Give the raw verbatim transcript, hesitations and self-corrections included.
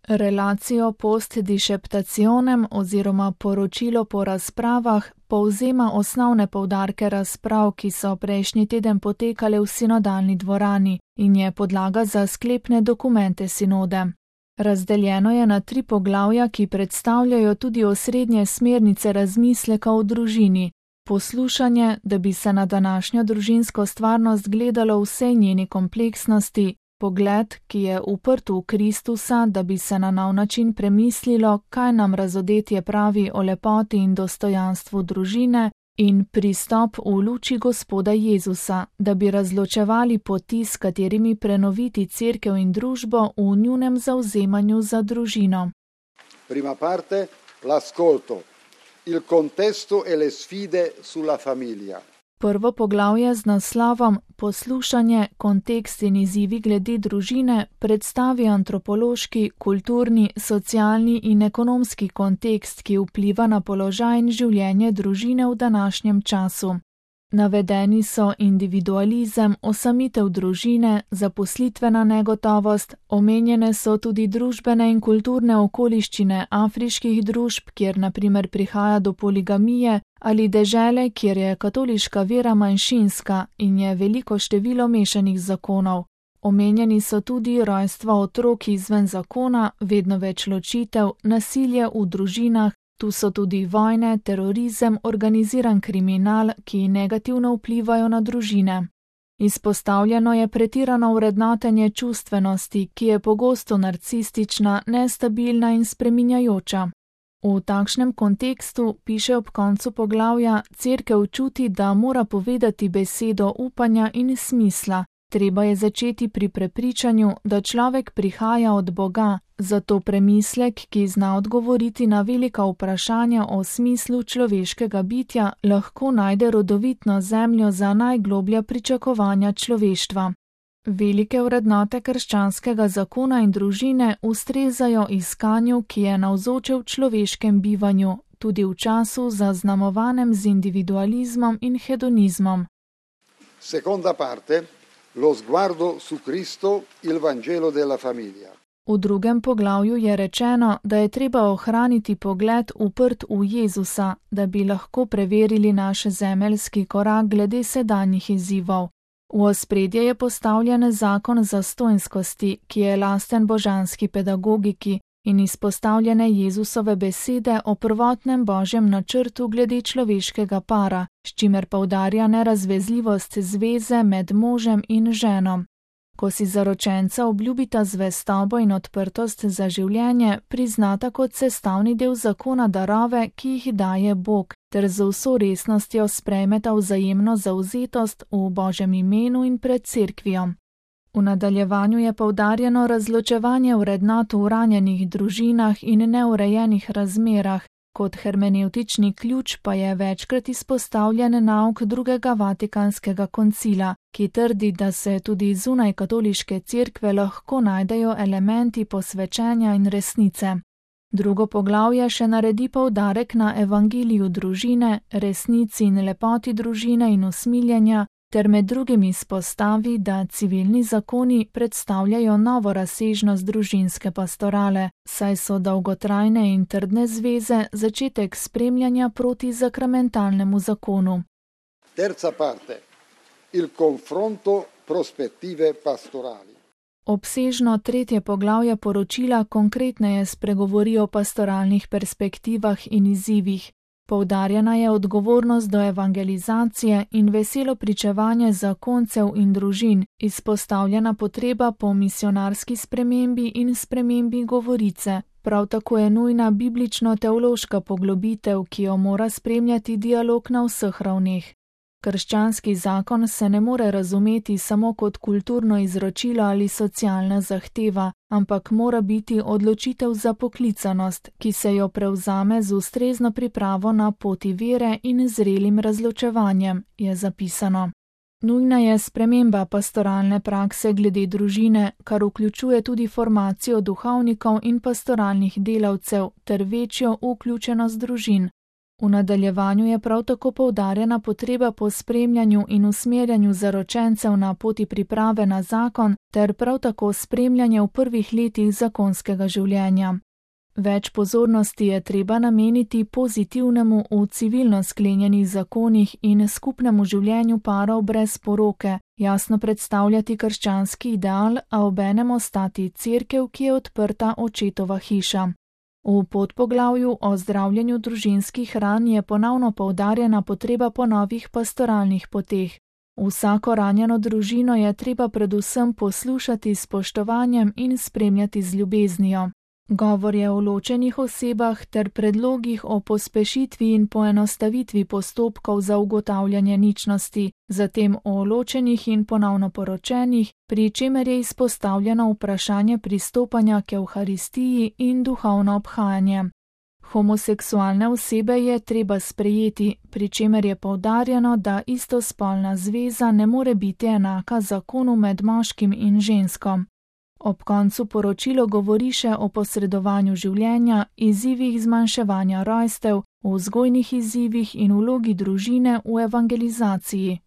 Relacijo post disceptationem oziroma poročilo po razpravah povzema osnovne poudarke razprav, ki so prejšnji teden potekale v sinodalni dvorani in je podlaga za sklepne dokumente sinode. Razdeljeno je na tri poglavja, ki predstavljajo tudi osrednje smernice razmisleka o družini. Poslušanje, da bi se na današnjo družinsko stvarnost gledalo v vsej njeni kompleksnosti, pogled, ki je uprt v Kristusa, da bi se na nov način premislilo, kaj nam razodetje pravi o lepoti in dostojanstvu družine, in pristop v luči Gospoda Jezusa, da bi razločevali poti, s katerimi prenoviti cerkev in družbo v njunem zavzemanju za družino. Prima parte, l'ascolto, il contesto e le sfide sulla famiglia. Prvo poglavje z naslovom Poslušanje, kontekst in izzivi glede družine predstavi antropološki, kulturni, socialni in ekonomski kontekst, ki vpliva na položaj in življenje družine v današnjem času. Navedeni so individualizem, osamitev družine, zaposlitvena negotovost, omenjene so tudi družbene in kulturne okoliščine afriških družb, kjer na primer prihaja do poligamije, ali dežele, kjer je katoliška vera manjšinska in je veliko število mešanih zakonov. Omenjeni so tudi rojstva otrok izven zakona, vedno več ločitev, nasilje v družinah, tu so tudi vojne, terorizem, organiziran kriminal, ki negativno vplivajo na družine. Izpostavljeno je pretirano vrednotenje čustvenosti, ki je pogosto narcistična, nestabilna in spreminjajoča. V takšnem kontekstu, piše ob koncu poglavja, cerkev čuti, da mora povedati besedo upanja in smisla. Treba je začeti pri prepričanju, da človek prihaja od Boga, zato premislek, ki zna odgovoriti na velika vprašanja o smislu človeškega bitja, lahko najde rodovitno zemljo za najgloblja pričakovanja človeštva. Velike vrednote krščanskega zakona in družine ustrezajo iskanju, ki je navzoče v človeškem bivanju, tudi v času zaznamovanem z individualizmom in hedonizmom. Seconda parte, lo sguardo su Cristo, il Vangelo della famiglia. V drugem poglavju je rečeno, da je treba ohraniti pogled uprt v Jezusa, da bi lahko preverili naš zemeljski korak glede sedanjih izzivov. V ospredje je postavljen zakon zastonjskosti, ki je lasten božanski pedagogiki, in izpostavljene Jezusove besede o prvotnem božjem načrtu glede človeškega para, s čimer poudarja nerazvezljivost zveze med možem in ženo. Ko si zaročenca obljubita zvestobo in odprtost za življenje, priznata kot sestavni del zakona darove, ki jih daje Bog, ter z vso resnostjo sprejmeta vzajemno zavzetost v Božjem imenu in pred cerkvijo. V nadaljevanju je poudarjeno razločevanje vrednot v ranjenih družinah in neurejenih razmerah, kot hermenevtični ključ pa je večkrat izpostavljen nauk drugega Vatikanskega koncila, ki trdi, da se tudi zunaj katoliške cerkve lahko najdejo elementi posvečenja in resnice. Drugo poglavje še naredi poudarek na evangeliju družine, resnici in lepoti družine in usmiljenja, ter med drugim izpostavi, da civilni zakoni predstavljajo novo razsežnost družinske pastorale, saj so dolgotrajne in trdne zveze začetek spremljanja proti zakramentalnemu zakonu. Terza parte, il confronto prospettive pastorali. Obsežno tretje poglavje poročila konkretneje spregovori o pastoralnih perspektivah in izzivih. Poudarjena je odgovornost do evangelizacije in veselo pričevanje zakoncev in družin, izpostavljena potreba po misionarski spremembi in spremembi govorice. Prav tako je nujna biblično-teološka poglobitev, ki jo mora spremljati dialog na vseh ravneh. Krščanski zakon se ne more razumeti samo kot kulturno izročilo ali socialna zahteva, ampak mora biti odločitev za poklicanost, ki se jo prevzame z ustrezno pripravo na poti vere in zrelim razločevanjem, je zapisano. Nujna je sprememba pastoralne prakse glede družine, kar vključuje tudi formacijo duhovnikov in pastoralnih delavcev ter večjo vključenost družin. V nadaljevanju je prav tako poudarjena potreba po spremljanju in usmerjanju zaročencev na poti priprave na zakon ter prav tako spremljanje v prvih letih zakonskega življenja. Več pozornosti je treba nameniti pozitivnemu v civilno sklenjenih zakonih in skupnemu življenju parov brez poroke, jasno predstavljati krščanski ideal, a obenem ostati cerkev, ki je odprta očetova hiša. V podpoglavju o zdravljenju družinskih ran je ponovno poudarjena potreba po novih pastoralnih poteh. Vsako ranjeno družino je treba predvsem poslušati s spoštovanjem in spremljati z ljubeznijo. Govor je o ločenih osebah ter predlogih o pospešitvi in poenostavitvi postopkov za ugotavljanje ničnosti, zatem o ločenih in ponovno poročenih, pri čemer je izpostavljeno vprašanje pristopanja k Evharistiji in duhovno obhajanje. Homoseksualne osebe je treba sprejeti, pri čemer je poudarjeno, da istospolna zveza ne more biti enaka zakonu med moškim in žensko. Ob koncu poročilo govori še o posredovanju življenja, izzivih zmanjševanja rojstev, o vzgojnih izzivih in vlogi družine v evangelizaciji.